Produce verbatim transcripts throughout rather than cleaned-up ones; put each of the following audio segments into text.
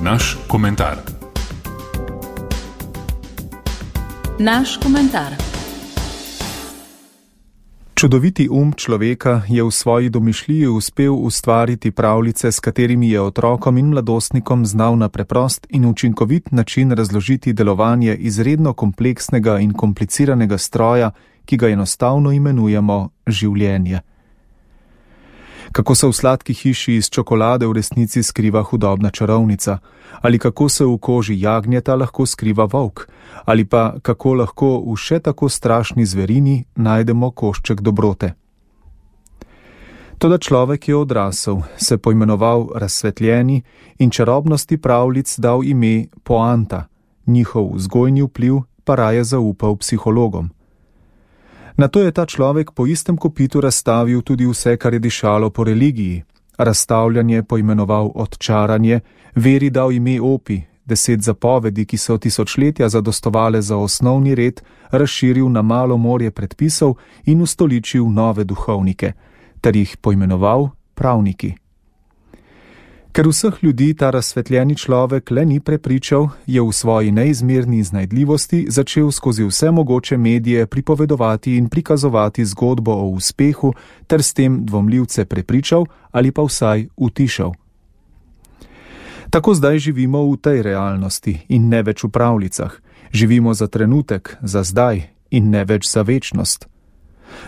Naš komentar. Naš komentar. Čudoviti um človeka je v svoji domišljiji uspel ustvariti pravljice, s katerimi je otrokom in mladostnikom znal na preprost in učinkovit način razložiti delovanje izredno kompleksnega in kompliciranega stroja, ki ga enostavno imenujemo življenje. Kako se v sladki hiši iz čokolade v resnici skriva hudobna čarovnica, ali kako se v koži jagnjeta lahko skriva volk, ali pa kako lahko v še tako strašni zverini najdemo košček dobrote. Toda človek je odrasel, se poimenoval razsvetljeni in čarobnosti pravljic dal ime poanta, njihov vzgojni vpliv pa raje zaupal psihologom. Nato je ta človek po istem kopitu razstavil tudi vse, kar je dišalo po religiji, razstavljanje poimenoval odčaranje, veri dal ime opi, deset zapovedi, ki so tisočletja zadostovale za osnovni red, razširil na malo morje predpisov in ustoličil nove duhovnike, ter jih poimenoval pravniki. Ker vseh ljudi ta razsvetljeni človek le ni prepričal, je v svoji neizmerni iznajdljivosti začel skozi vse mogoče medije pripovedovati in prikazovati zgodbo o uspehu, ter s tem dvomljivce prepričal ali pa vsaj utišal. Tako zdaj živimo v tej realnosti in ne več v pravljicah. Živimo za trenutek, za zdaj in ne več za večnost.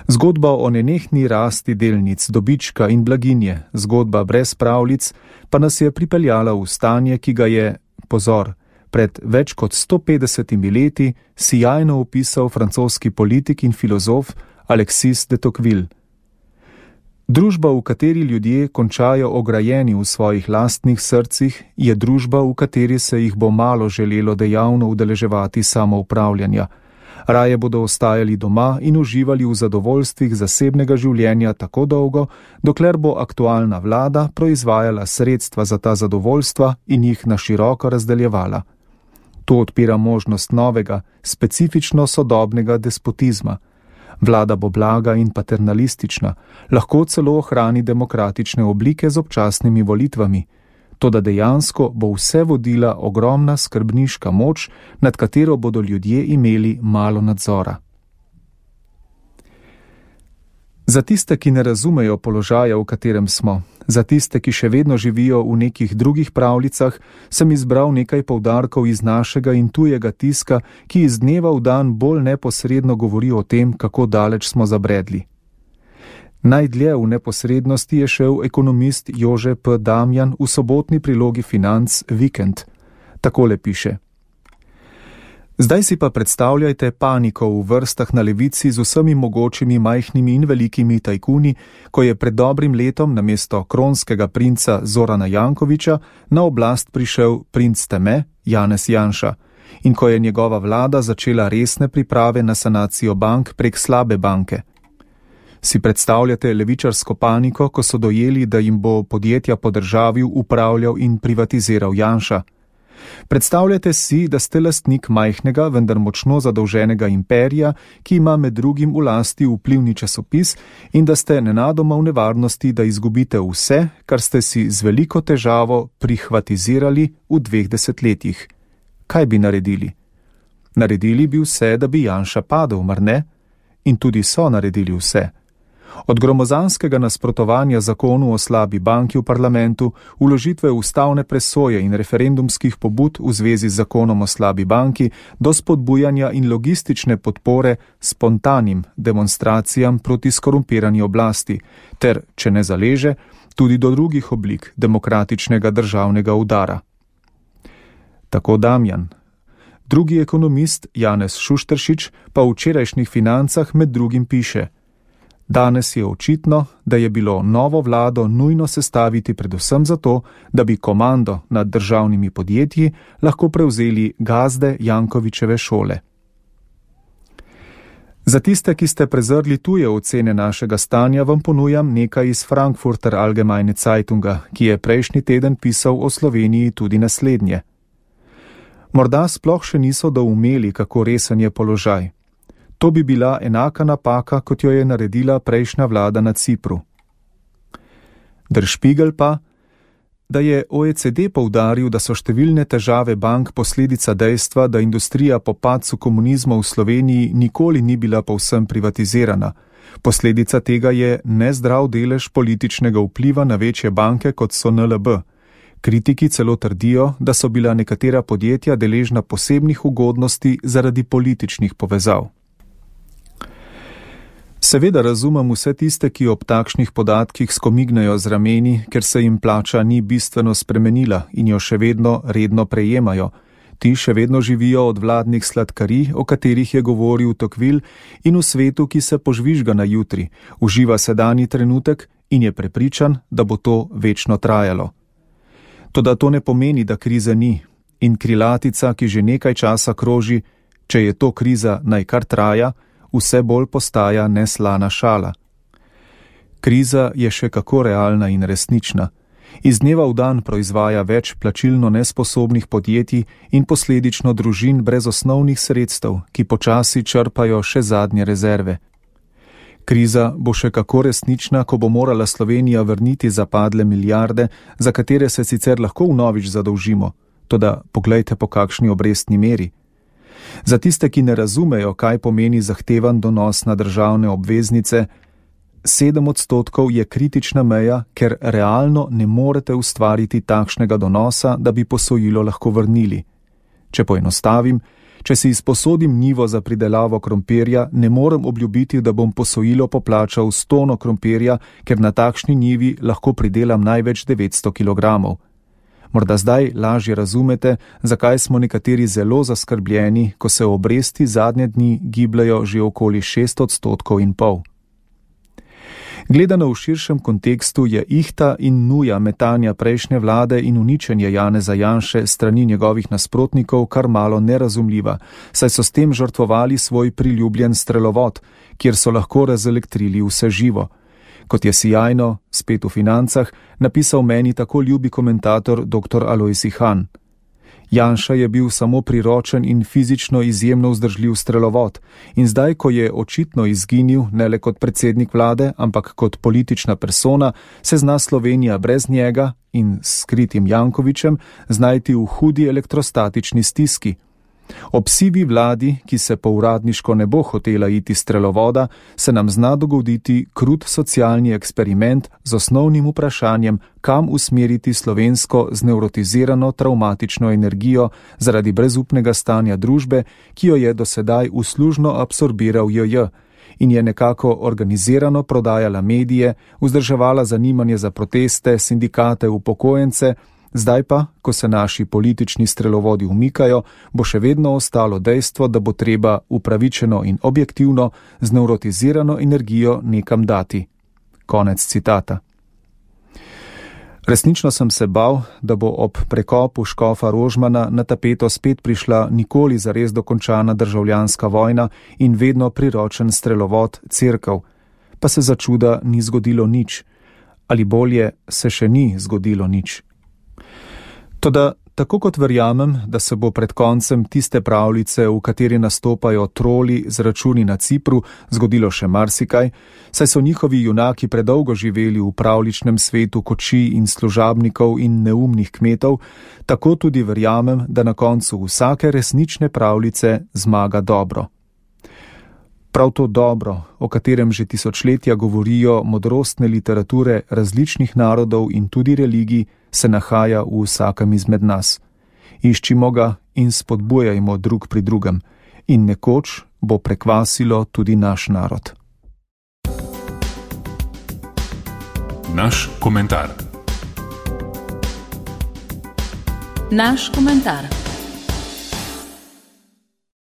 Zgodba o nenehni rasti delnic, dobička in blaginje, zgodba brez pravljic, pa nas je pripeljala v stanje, ki ga je, pozor, pred več kot sto petdesetimi leti sijajno opisal francoski politik in filozof Alexis de Tocqueville. Družba, v kateri ljudje končajo ograjeni v svojih lastnih srcih, je družba, v kateri se jih bo malo želelo dejavno udeleževati samoupravljanja. Raje bodo ostajali doma in uživali v zadovoljstvih zasebnega življenja tako dolgo, dokler bo aktualna vlada proizvajala sredstva za ta zadovoljstva in jih na široko razdeljevala. To odpira možnost novega, specifično sodobnega despotizma. Vlada bo blaga in paternalistična, lahko celo ohrani demokratične oblike z občasnimi volitvami. Toda dejansko bo vse vodila ogromna skrbniška moč, nad katero bodo ljudje imeli malo nadzora. Za tiste, ki ne razumejo položaja, v katerem smo, za tiste, ki še vedno živijo v nekih drugih pravljicah, sem izbral nekaj poudarkov iz našega in tujega tiska, ki iz dneva v dan bolj neposredno govori o tem, kako daleč smo zabredli. Najdlje v neposrednosti je šel ekonomist Jože P. Damjan v sobotni prilogi Financ Vikend. Takole piše. Zdaj si pa predstavljajte paniko v vrstah na levici z vsemi mogočimi majhnimi in velikimi tajkuni, ko je pred dobrim letom namesto kronskega princa Zorana Jankovića na oblast prišel princ Teme, Janez Janša, in ko je njegova vlada začela resne priprave na sanacijo bank prek slabe banke. Si predstavljate levičarsko paniko, ko so dojeli, da jim bo podjetja podržavil, upravljal in privatiziral Janša? Predstavljate si, da ste lastnik majhnega, vendar močno zadolženega imperija, ki ima med drugim v lasti vplivni časopis in da ste nenadoma v nevarnosti, da izgubite vse, kar ste si z veliko težavo prihvatizirali v dveh desetletjih. Kaj bi naredili? Naredili bi vse, da bi Janša padel, mar ne? In tudi so naredili vse. Od gromozanskega nasprotovanja zakonu o slabi banki v parlamentu, vložitve ustavne presoje in referendumskih pobud v zvezi z zakonom o slabi banki, do spodbujanja in logistične podpore spontanim demonstracijam proti skorumpirani oblasti, ter, če ne zaleže, tudi do drugih oblik demokratičnega državnega udara. Tako Damjan. Drugi ekonomist Janez Šušteršič pa v včerajšnjih Financah med drugim piše: Danes je očitno, da je bilo novo vlado nujno sestaviti predvsem zato, da bi komando nad državnimi podjetji lahko prevzeli gazde Jankovićeve šole. Za tiste, ki ste prezrli tuje ocene našega stanja, vam ponujam nekaj iz Frankfurter Allgemeine Zeitunga, ki je prejšnji teden pisal o Sloveniji tudi naslednje. Morda sploh še niso doumeli, kako resen je položaj. To bi bila enaka napaka, kot jo je naredila prejšnja vlada na Cipru. Der Spiegel pa: da je O E C D poudaril, da so številne težave bank posledica dejstva, da industrija po padcu komunizma v Sloveniji nikoli ni bila povsem privatizirana. Posledica tega je nezdrav delež političnega vpliva na večje banke, kot so N L B. Kritiki celo trdijo, da so bila nekatera podjetja deležna posebnih ugodnosti zaradi političnih povezav. Seveda razumem vse tiste, ki ob takšnih podatkih skomignejo z rameni, ker se jim plača ni bistveno spremenila in jo še vedno redno prejemajo. Ti še vedno živijo od vladnih sladkarij, o katerih je govoril Tocqueville, in v svetu, ki se požvižga na jutri, uživa sedanji trenutek in je prepričan, da bo to večno trajalo. Toda to ne pomeni, da krize ni, in krilatica, ki že nekaj časa kroži, če je to kriza, naj kar traja, vse bolj postaja neslana šala. Kriza je še kako realna in resnična. Iz dneva v dan proizvaja več plačilno nesposobnih podjetij in posledično družin brez osnovnih sredstev, ki počasi črpajo še zadnje rezerve. Kriza bo še kako resnična, ko bo morala Slovenija vrniti zapadle milijarde, za katere se sicer lahko vnovič zadolžimo, toda poglejte po kakšni obrestni meri. Za tiste, ki ne razumejo, kaj pomeni zahtevan donos na državne obveznice, sedem odstotkov je kritična meja, ker realno ne morete ustvariti takšnega donosa, da bi posojilo lahko vrnili. Če poenostavim, če si izposodim njivo za pridelavo krompirja, ne morem obljubiti, da bom posojilo poplačal s tono krompirja, ker na takšni njivi lahko pridelam največ devetsto kilogramov. Morda zdaj lažje razumete, zakaj smo nekateri zelo zaskrbljeni, ko se obresti zadnje dni gibljajo že okoli šest odstotkov in pol. Gledano v širšem kontekstu je ihta in nuja metanja prejšnje vlade in uničenje Janeza Janše strani njegovih nasprotnikov kar malo nerazumljiva, saj so s tem žrtvovali svoj priljubljen strelovod, kjer so lahko razelektrili vse živo. Kot je sijajno, spet v financah, napisal meni tako ljubi komentator doktor Alojz Ihan. Janša je bil samo priročen in fizično izjemno vzdržljiv strelovod in zdaj, ko je očitno izginil ne le kot predsednik vlade, ampak kot politična persona, se zna Slovenija brez njega in s skritim Jankovićem znajti v hudi elektrostatični stiski. Ob sivi vladi, ki se po uradniško ne bo hotela iti strelovoda, se nam zna dogoditi krut socialni eksperiment z osnovnim vprašanjem, kam usmeriti slovensko znevrotizirano travmatično energijo zaradi brezupnega stanja družbe, ki jo je dosedaj uslužno absorbiral J J in je nekako organizirano prodajala medije, vzdrževala zanimanje za proteste, sindikate, upokojence. Zdaj pa, ko se naši politični strelovodi umikajo, bo še vedno ostalo dejstvo, da bo treba upravičeno in objektivno znevrotizirano energijo nekam dati. Konec citata. Resnično sem se bal, da bo ob prekopu škofa Rožmana na tapeto spet prišla nikoli zares dokončana državljanska vojna in vedno priročen strelovod Cerkev. Pa se za čuda ni zgodilo nič. Ali bolje, se še ni zgodilo nič. Toda, tako kot verjamem, da se bo pred koncem tiste pravljice, v kateri nastopajo troli z računi na Cipru, zgodilo še marsikaj, saj so njihovi junaki predolgo živeli v pravljičnem svetu kočij in služabnikov in neumnih kmetov, tako tudi verjamem, da na koncu vsake resnične pravljice zmaga dobro. Prav to dobro, o katerem že tisočletja govorijo modrostne literature različnih narodov in tudi religij, se nahaja v vsakem izmed nas. Iščimo ga in spodbujajmo drug pri drugem in nekoč bo prekvasilo tudi naš narod. Naš komentar. Naš komentar.